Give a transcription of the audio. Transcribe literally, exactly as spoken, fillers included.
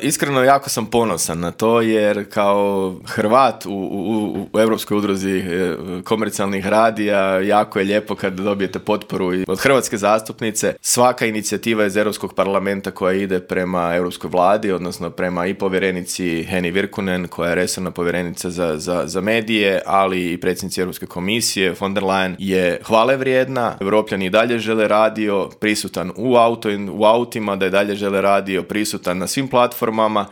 Iskreno, jako sam ponosan na to, jer kao Hrvat u, u, u Europskoj udruzi komercijalnih radija jako je lijepo kad dobijete potporu od hrvatske zastupnice. Svaka inicijativa iz Europskog parlamenta koja ide prema Europskoj vladi, odnosno prema i povjerenici Heni Virkunen, koja je resorna povjerenica za, za, za medije, ali i predsjednici Europske komisije, von der Leyen, je hvale vrijedna. Europljani i dalje žele radio prisutan u, auto, u autima, da je dalje žele radio prisutan na svim platformama